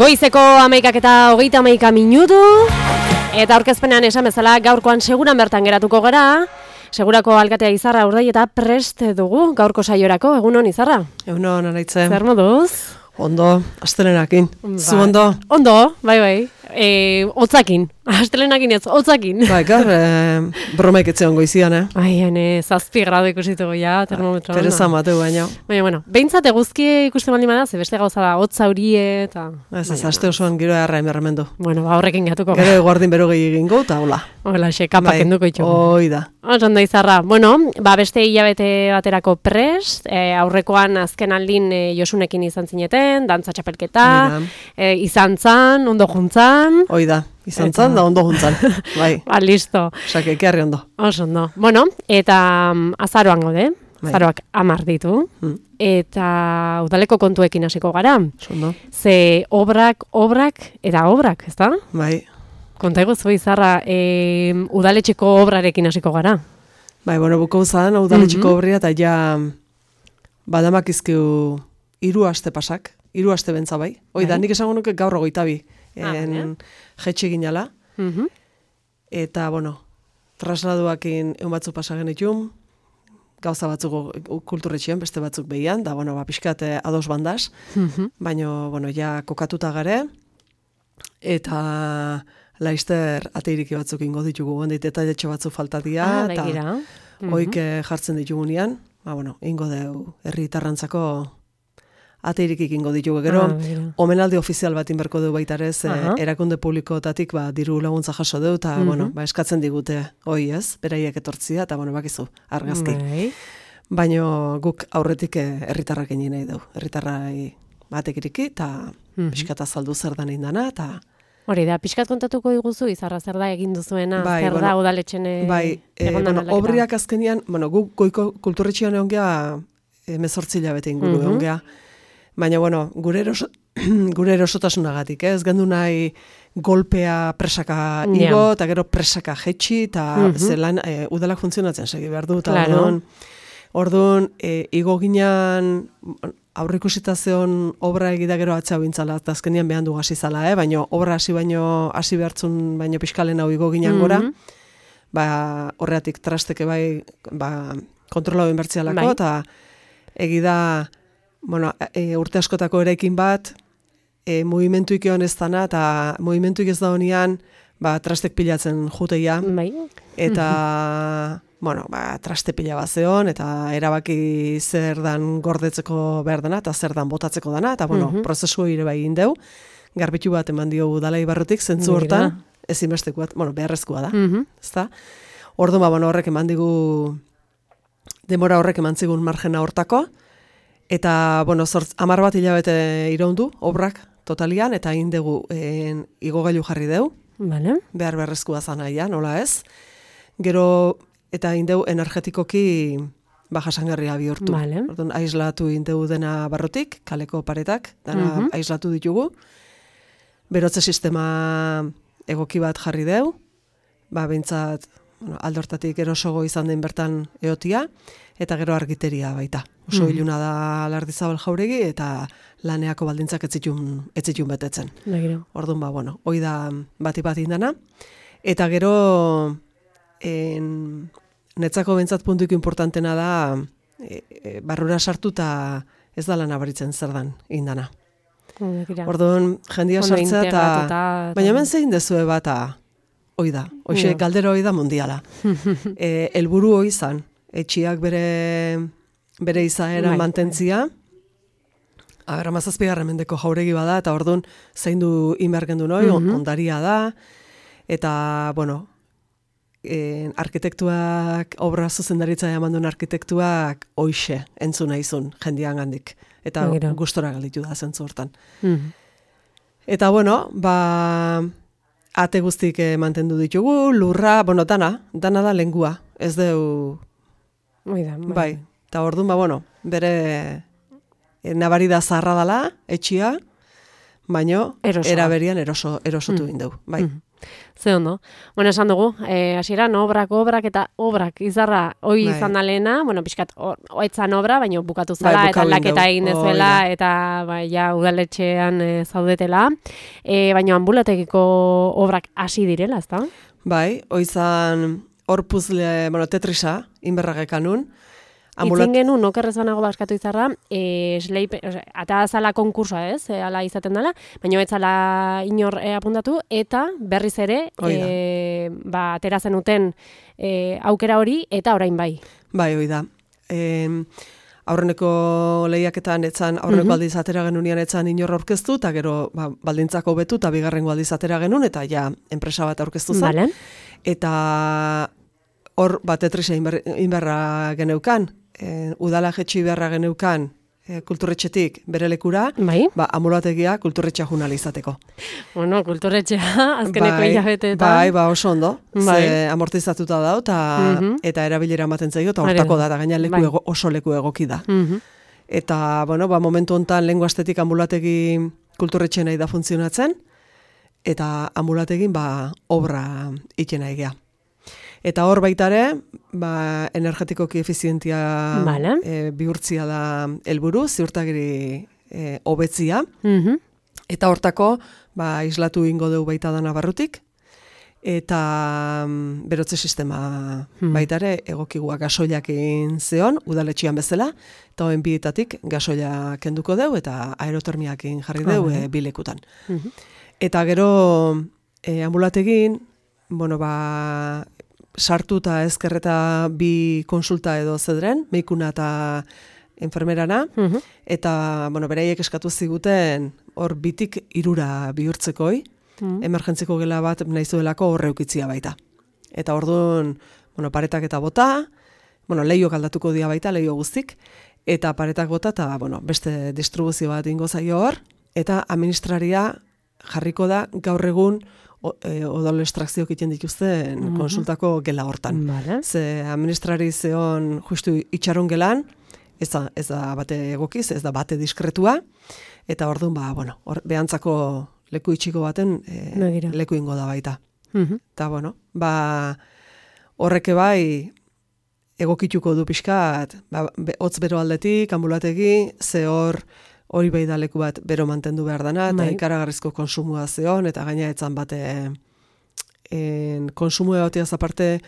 Goizeko 11:30 eta aurkezpenean esan bezala gaurkoan seguran bertan geratuko gara. Segurako alkatea Izarra urdai eta prest dugu gaurko saiorako. Egunon Izarra? Egunon Araitzen. Zer moduz? Ondo, astelenakin. Zu ondo? Ondo, bai. Hotzakin. Astelenakin ez, hotzakin. Bai, gar, bromaik etzeon goizian, Ai, 7 gradu ikusituko ja, termometroan. Teresa mateu baina. Baina, bueno, behintzat eguzki ikusten baldin bada, ze beste gauza da, hotza hurie, eta... Ez, aste osoan giro erra emerremendu. Bueno, horrekin gatuko. Gero guardin berogei egingo, eta hola. Hola, kapak enduko itxo. Hoi da. Osan da Izarra. Bueno, beste hilabete baterako prest, aurrekoan azken aldin Josunekin izan zineten, dantza txapelketa, izan zan, ondo juntzan. Hoi da, izan zan da ondo juntzan. Bai. Listo. Osake, ekearri ondo. Oso ondo. Bueno, eta azaroan gaude, azaroak 10 ditu, eta udaleko kontuekin hasiko gara. Ondo. Ze obrak, ezta? Bai. Konta eguzu Izarra, udaletxeko obrarekin hasiko gara. Bai, bueno, buko zan, udaletxeko obria, eta ja badamak izkiu 3 aste pasak, 3 aste bentza bai. Hoi da, nik esango nuke gaur 22. Jetxe ginala. Eta, bueno, trasladuakin egun batzuk pasagen itun, gauza batzuk kulturretxean, beste batzuk behian, da, bueno, pixkat ados bandaz, baina, bueno, ja kokatuta gare, eta laizter ateiriki batzuk ingo ditugu, gondit eta detxo batzuk faltatia, eta hoik jartzen ditugunean, ba, bueno, ingo deu herri tarrantzako ateirik ingo ditugu. Gero, omenaldi ofizial bat inberko du baitarez, erakunde publikotatik diru laguntza jaso du, eta bueno, eskatzen digute hoi ez, beraiek etortzia, eta bueno, bakizu, argazki. Baina guk aurretik herritarrak egin nahi du. Herritarrai batek iriki, eta pixkat azaldu zer da nindana, eta... Hori da, pixkat kontatuko diguzu, Izarra, zer da egin duzuena, zer da udaletxen egondan aldaketa? Obriak azkenian, guk goiko kulturretxean egon geha 18 hilabete inguru egon geha. Baina, bueno, gure erosotasunagatik, ez gendu nahi golpea presaka igo, eta gero presaka jetxi, eta zelan udalak funtzionatzen segi behar du, eta orduan, igo ginean aurrikusita zeon obra egida gero atzea bintzala, eta azkenian behan du gazi zala, baina obra hasi behartzun baino pixkalen hau igo ginean gora, horreatik trasteke kontrolau inbertzialako, eta egida... Bueno, urte askotako eraikin bat, movimentuik egon ez dana, eta movimentuik ez da honian, trastek pilatzen juteia. Eta, bueno, traste pila bat zeon, eta erabaki zer dan gordetzeko behar dana, eta zer dan botatzeko dana, eta, bueno, prozesu ire bai egin deu, garbitu bat eman dio udala ibarrutik, zentzu hortan, ezinbesteko bat, bueno, beharrezkoa da, ezta? Orduan, bueno, horrek eman digu, denbora horrek eman zigun margena hortako, eta, bueno, 10 bat hilabete iraundu, obrak totalian, eta egin dugu igogailu jarri deu, behar beharrezkoa zanaia, nola ez. Gero, eta egin dugu energetikoki jasangarria bihurtu. Orduan, aislatu egin dugu dena barrutik, kaleko paretak, dena aislatu ditugu. Berotze sistema egoki bat jarri deu, behintzat, aldortatik erosogo izan den bertan eotia, eta gero argiteria baita. Oso iluna da Lardizabal jauregi, eta laneako baldintzak ez zitun betetzen. Orduan, bueno, hoi da bat indana. Eta gero, netzako bentsat puntuik importantena da, barrura sartu eta ez da lan abaritzen zer dan indana. Orduan, jendia sartzea eta... Baina hemen zein dezue bat, hoi da. Hoxe, galdera hoi da mundiala. Helburu hoi zan, etxiak bere izaera mantentzia. Amazazpigarren mendeko jauregi bada, eta orduan zein du inbergen du noi, ondaria da. Eta, bueno, arkitektuak, obra zuzendaritza eman duen arkitektuak hoxe entzuna izun jendian gandik. Eta gustora galditu da zentzu hortan. Eta, bueno, ate guztik mantendu ditugu, lurra, bueno, dana da lengua. Ez deu... Bai, eta orduan, bueno, bere nabari da zaharra dela, etxia, baino Erosoa. eraberian erosotu indeu, bai. Ze ondo. Bueno, esan dugu, hasieran obrak eta obrak izarra hoi Bai. izan da lehena, bueno, pixkat, oetzan obra, baina bukatu zala, eta bukatu aldaketa egin egin dugu. dezuela, Hori eta ja, udaletxean zaudetela. Baina ambulategiko obrak hasi direla, ezta? Bai, oizan hor puzle, bueno, Tetrisa, inberragekanun. Itzen genuen, okerrez banago baskatu izarra, ata zala konkursa ez, ala izaten dela, baina ez zala inor apuntatu, eta berriz ere, atera zenuten aukera hori, eta orain bai. Bai, hoi da. Aurreneko lehiaketan etzan, aurreko aldiz atera genunian etzan inor aurkeztu, eta gero baldintzako betu, eta bigarrengo aldiz atera genuen, eta ja, enpresa bat aurkeztu zen. Vale. Eta hor Tetrisa inberra geneukan, udala jetxi beharra geneukan kulturretxetik bere lekura, bai. Amulategia kulturretxea junal izateko. Bueno, kulturretxea azkeneko hilabeteetan. Bai, oso ondo. Ze amortizatuta dau, eta erabilera ematen zaio, eta hortako da, gaina oso leku egoki da. Eta, bueno, momentu hontan lengua estetik ambulategi kulturretxe nahi da funtzionatzen, eta ambulategin obra ikena egia. Eta hor baitare, energetikoki efizientia bihurtzia da helburu, ziurtagiri hobetzia. Eta hortako, islatu ingo dugu baita dana barrutik, eta berotze sistema baitare egokigua gasoiak egin zeon, udaletxian bezala, eta hoen bietatik gasoia kenduko dugu, eta aerotermiak egin jarri dugu bilekutan. Eta gero ambulategin, sartu eta ezkerreta bi konsulta edo zedren, meikuna eta enfermerana, eta beraiek eskatu ziguten hor bitik 3 bihurtzekoi, emergentziko gela bat nahi zuelako horre ukitzia baita. Eta orduan, paretak eta bota, lehiok aldatuko dia baita, lehio guztik, eta paretak bota eta beste distribuzio bat ingo zaio hor, eta administraria jarriko da gaur egun odol estrakzioak egiten dituzten konsultako gela hortan. Ze administrari zeon justu itxaron gelan, ez da bate egokiz, ez da bate diskretua, eta orduan, behantzako leku itxiko baten leku ingo da baita. Eta, horreke bai egokituko du pixkat, hotz bero aldetik, ambulategi, ze hori bai da leku bat bero mantendu behar dana, eta ikaragarrizko konsumua zeon, eta gaina etzan bate konsumua egotiaz aparte,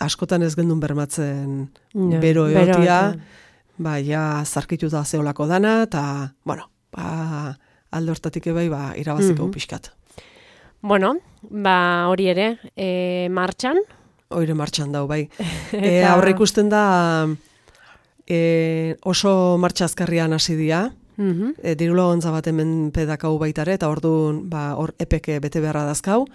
askotan ez gendun bermatzen bero egotia, zarkitu da zeolako dana, eta, alde hortatik ebai, irabaziko pixkat. Bueno, hori ere, martxan? Hori martxan dau, bai. Aurre ikusten da, oso martxa azkarrian hasi dira, diru laguntza bat hemen pedakau baitare, eta orduan hor epeke bete beharra dazkau,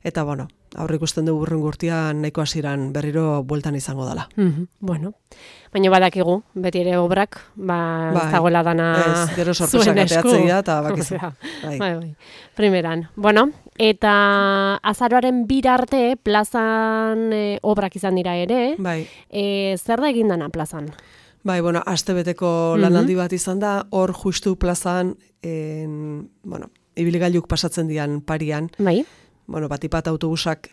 eta aurre ikusten dugu burren gurtian nahiko hasieran berriro bueltan izango dela. Bueno, baina badakigu, beti ere obrak, ez dagoela dana gero sorpresak ateatzea, eta bakizu. Primeran. Bueno, eta azaroaren 2 arte plazan obrak izan dira ere, zer da egin dana plazan? Astebeteko lanaldi bat izan da, hor justu plazan, ibilgailuk pasatzen dian parian, batipat autobusak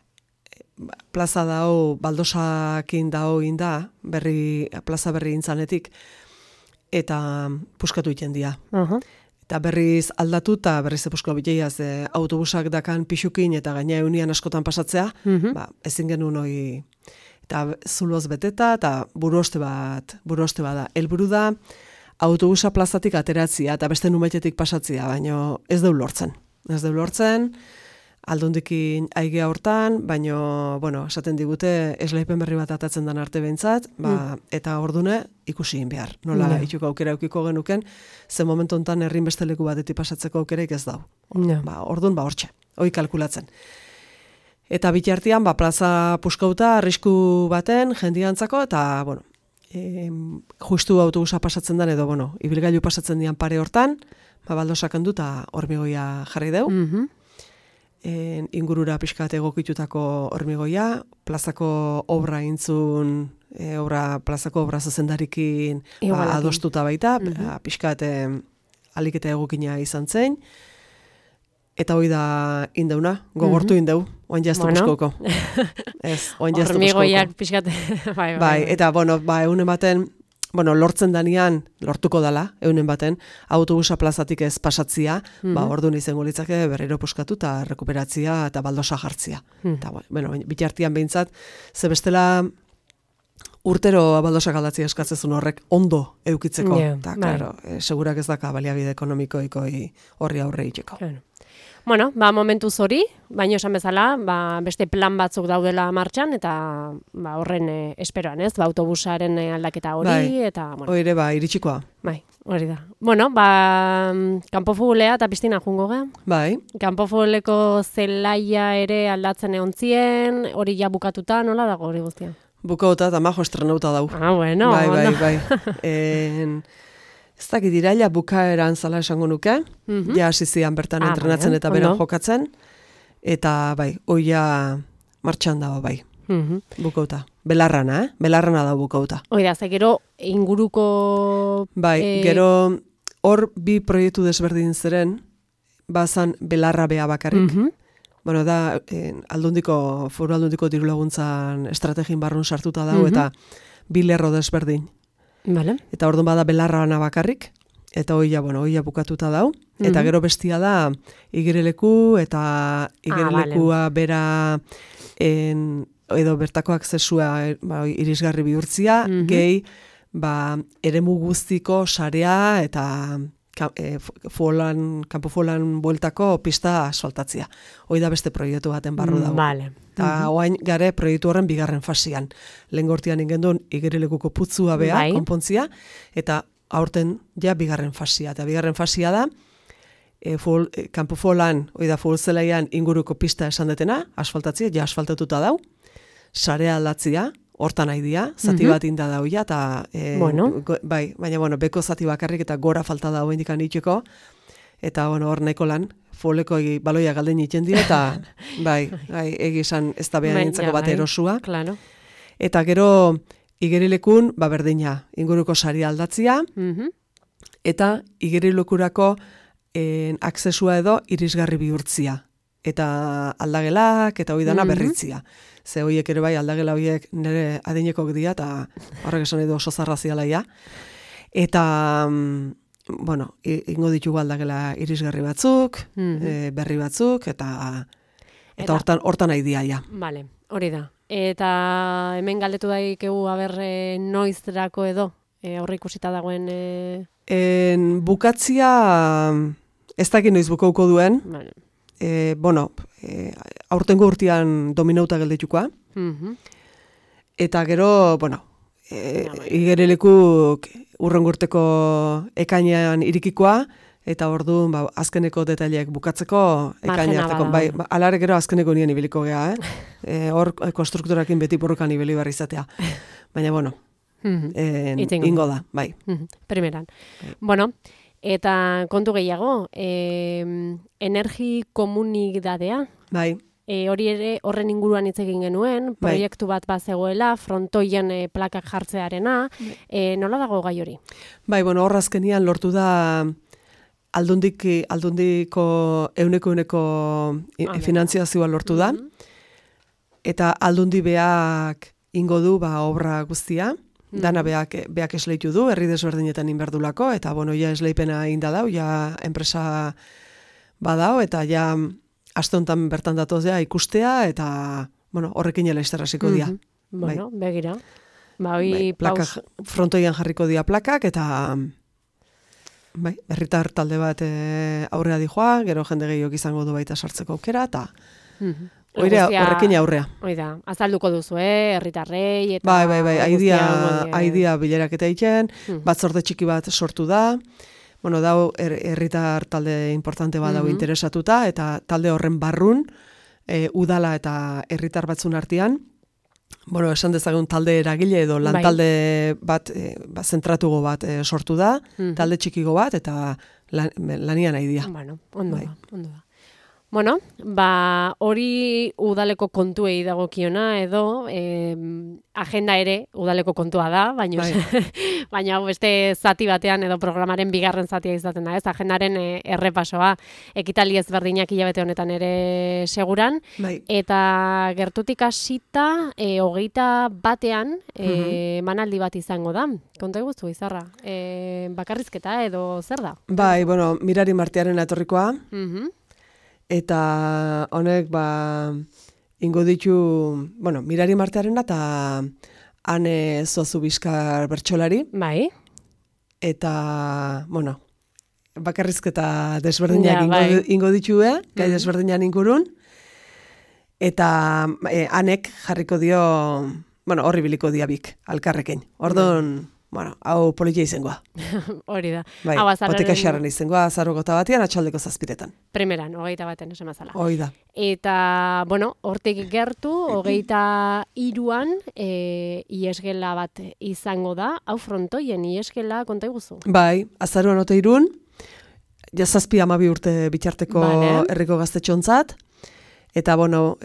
plaza dao, baldosakin dao inda, plaza berri intzanetik, eta puskatu iten dia. Eta berriz aldatu eta berriz epusko biteiaz autobusak dakan pixukin eta gaina eunian askotan pasatzea, ezin genuen hori, eta zuloz beteta, eta buruoste bat da. Helburu da, autobusa plazatik ateratzia, eta beste numaitetik pasatzia, baina ez deu lortzen. Ez deu lortzen, aldundikin aigea hortan, baina, esaten digute, eslaipen berri bat atatzen dan arte behintzat, eta ordune ikusi behar. Nola ituko aukera eukiko genuken, ze momentu hontan herrin beste leku batetik pasatzeko aukeraik ez dau. Ordun hortxe, hoi kalkulatzen. Eta bitartean, plaza puskauta, arrisku baten, jendiantzako, eta, justu autobusa pasatzen den, edo, ibilgailu pasatzen dian pare hortan, baldosak handu eta hormigoia jarri deu. Ingurura pixkat egokitutako hormigoia, plazako obra intzun, plazako obra zuzendarikin adostuta baita, pixkat aliketa egokina izan zen, eta hoi da indeuna, gogortu indeu, oin jaztu buskoko. Ez, oin jaztu buskoko. Hormigoiak pixkat, bai. Eta, egunen baten, lortzen danean, lortuko dala, egunen baten, autobusa plazatik ez pasatzia, orduan izango litzake berriro puskatu eta rekuperatzia eta baldosa jartzia. Eta, bitartian behintzat, ze bestela urtero baldosak aldatzia eskatzezun horrek ondo eukitzeko. Eta, klaro, segurak ez daka baliabide ekonomikoiko horri aurre itxeko. Bueno, momentuz hori, baino esan bezala, beste plan batzuk daudela martxan, eta horren esperoan, ez? Autobusaren aldaketa hori, eta... Hori iritsikoa. Bai, hori da. Bueno, kanpofutbolea eta pistina jungo gea. Bai. Kanpofutboleko zelaia ere aldatzen egontzien, hori ja bukatuta, nola dago hori guztia? Bukauta eta majo estrenauta dau. Bueno. Bai. Ez dakit iraila bukaeran zala esango nuke, ja hasi zian bertan entrenatzen eta beran jokatzen, eta oia martxan dago bukauta. Belarrana da bukauta. Oida, ze gero inguruko... Gero hor bi proiektu desberdin zeren, bazan belarra bea bakarrik. Da, foru aldundiko diru laguntzan estrategin barrun sartuta dago, eta bi lerro desberdin. Vale. Eta orduan bada belarrana bakarrik, eta oia bukatuta dau, eta gero bestia da igireleku, eta igerilekua bera edo bertako aksesua irisgarri bihurtzia, gehi eremu guztiko sarea eta kanpofolan bueltako pista asfaltatzia. Hoi da beste proiektu baten barru dago. Eta oain gare proiektu horren bigarren fasian. Lehen gortian ingendun igerilekuko putzua bea, konpontzia, eta aurten ja bigarren fasia. Eta bigarren fasia da, kanpofolan, hoi da futbolzelaian inguruko pista esan detena, asfaltatzia, ja asfaltatuta dau, sarea aldatzia, hortan nahi dia, zati bat inda dauia, eta baina beko zati bakarrik eta gora falta da hoen dikan itxeko, eta hor nahiko lan, foleko baloia galden iten dira, eta egizan ez da behan nintzako bat erosua. Eta gero igerilekun, berdina, inguruko sari aldatzia, eta igerilekurako aksesua edo irisgarri bihurtzia. Eta aldagelak, eta hoi dana berritzia. Ze horiek ere aldagela horiek nire adinekok dira, eta horrek esan edo oso zarrazialaia. Eta, ingo ditugu aldagela irisgarri batzuk, berri batzuk, eta hortan nahi dia, ja. Vale, hori da. Eta hemen galdetu daikegu noizerako edo, horri ikusita dagoen... Bukatzia, ez dakit noiz bukauko duen, aurtengo urtean dominauta gelditukoa, eta gero, igerilekuk urrengo urteko ekainean irikikoa, eta orduan azkeneko detaileak bukatzeko ekaina harteko. Alare gero azkeneko nien ibiliko gea, hor konstrukturakin beti borrokan ibili barri izatea. Baina, ingo da, bai. Primeran. Bueno, eta kontu gehiago, energi komunidadea. Bai. Hori ere horren inguruan hitz egin genuen, proiektu bat bazegoela, frontoien plakak jartzearena, nola dago gai hori? Bai, hor azkenian lortu da aldundiko euneko finantziazioa lortu da, eta aldundi beak ingo du obra guztia, dana beak esleitu du, herri desberdinetan inberdulako, eta ja esleipena inda dau, ja enpresa badao, eta ja aste honetan bertan datozea ikustea, eta horrekin jela izterrasiko dia. Begira. Frontoian jarriko dia plakak, eta herritar talde bat aurrea dijoa, gero jende gehiok izango du baita sartzeko aukera, eta horrekin aurrea. Oida, azalduko duzu, herritarrei, eta... Bai, aidia bilerak eta egiten, batzorde txiki bat sortu da, dau herritar talde importante bat dau interesatuta, eta talde horren barrun, udala eta herritar batzun artean, esan dezagun talde eragile edo lantalde bat, zentratugo bat sortu da, talde txikigo bat, eta lanian nahi dia. Ondo da. Bueno, hori udaleko kontuei dagokiona edo agenda ere udaleko kontua da, baina baina beste zati batean edo programaren bigarren zatia izaten da, ez? Agendaren errepasoa, ekitaldi ezberdinak hilabete honetan ere seguran, eta gertutik hasita 21ean manaldi bat izango da. Konta eguztu, Izarra, bakarrizketa edo zer da? Bai, bueno, Mirari Martiaren etorrikoa, eta honek, ingo ditu, bueno, Mirari Martearena eta Ane Zozubizkar bertsolari. Bai. Eta, bueno, bakarrizketa desberdinak ingo ditue, gai desberdinan ingurun. Eta Anek jarriko dio, bueno, horri biliko diabik, alkarrekin. Ordon, bueno, hau politia izangoa. Hori da. Bai, poteka xarren izangoa, azarrogota batean, atxaldeko 7etan. Primeran, 21 esan mazala. Hoi da. Eta, bueno, hortik gertu, 23an iesgela bat izango da, hau frontoien iesgela konta iguzu? Bai, azaruan 23, jazazpi 12 urte bitarteko herriko gaztetxontzat, eta, bueno,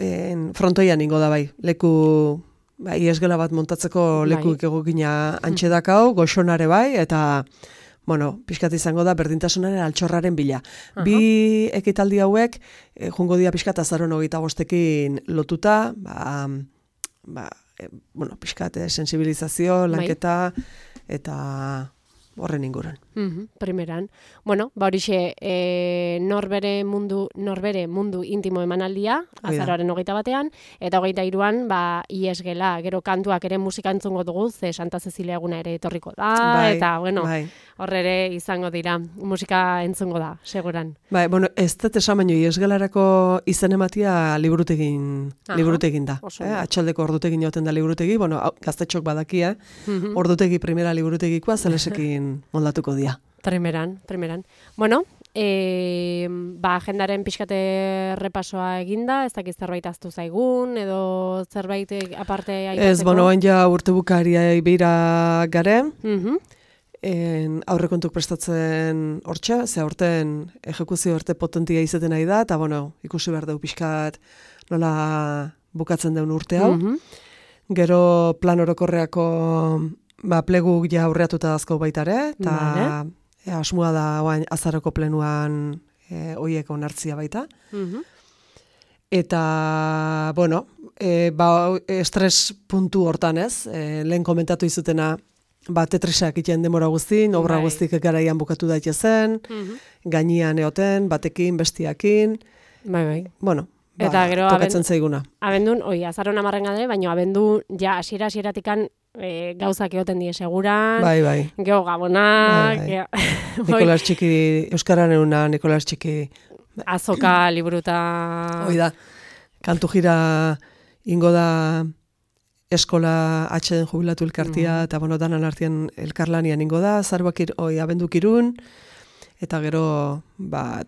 frontoian ingo da bai, leku... iesgela bat montatzeko lekuik egokina antxe dakau, goxonare bai, eta, bueno, pixkat izango da berdintasunaren altxorraren bila. Bi ekitaldi hauek, jungo dia pixkat azaron 25ekin lotuta, bueno, pixkat sensibilizazio, lanketa, eta horren inguran. Primeran. Bueno, horixe, norbere mundu intimo emanaldia, azaroaren 21ean, eta 23an, iesgela, gero kantuak ere musika entzungo dugu, ze Santa Cecilia eguna ere etorriko da, eta, bueno, horrere izango dira, musika entzungo da, seguran. Bai, bueno, ez dut esan baino, iesgelarako izen ematia liburutegin da. Atxaldeko ordutegin joten da liburutegi, bueno, gaztetxok badakia, ordutegi primera liburutegikoa, zelesekin moldatuko dira. Primeran. Bueno, agendaren pixkate repasoa eginda, ez dakiz zerbait aztu zaigun, edo zerbait aparte aipatzeko? Ez, bueno, ja urte bukaria beira gare, aurrekontuk prestatzen hortxe, ze aurten ejekuzio arte potentia izaten nahi da, eta, bueno, ikusi behar dugu pixkat nola bukatzen deun urte hau. Gero plan orokorreako pleguk ja aurreatuta dazko baitare, eta asmoa da azaroko plenuan oiek onartzia baita. Eta, bueno, estres puntu hortan ez, lehen komentatu izutena, Tetrisak iten demora guztin, obra guztik garaian bukatu daitezen, gainean eoten, batekin, bestiakin. Bai. Bueno, tokatzen zaiguna. Abendun, azaron 10 gade, baina abendun, ja, hasiera-hasieratikan gauzak egoten die seguran. Bai. Geo gabonak. Nikolas Txiki, Euskararen una, Nikolas Txiki. Azoka, liburuta. Hoi da, kantu jira ingo da eskola atxeden jubilatu elkartia, eta bueno, danan artean elkarlanian ingo da, zaruak abenduk Irun, eta gero,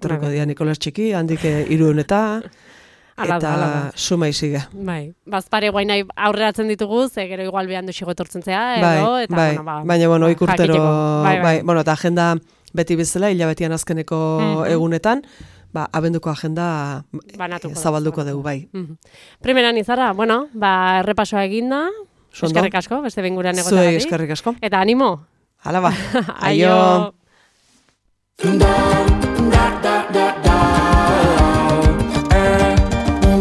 torriko dia Nikolas Txiki, handik Irun eta suma iziga. Bai, bazpare guain nahi aurreratzen ditugu, ze gero igual behan duxigo etortzen zea, edo, eta baina, bueno, ikurtero, bueno, eta agenda beti bezala, hilabetian azkeneko egunetan, abenduko agenda zabalduko dugu, bai. Primeran Izarra, bueno, errepasoa eginda, eskerrik asko, beste benguran egotea gari. Eskerrik asko. Eta animo. Hala ba. Aio.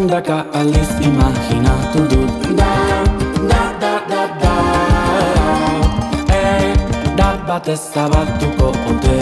Daka aldiz imaginatu dut Da batez zabaltuko ote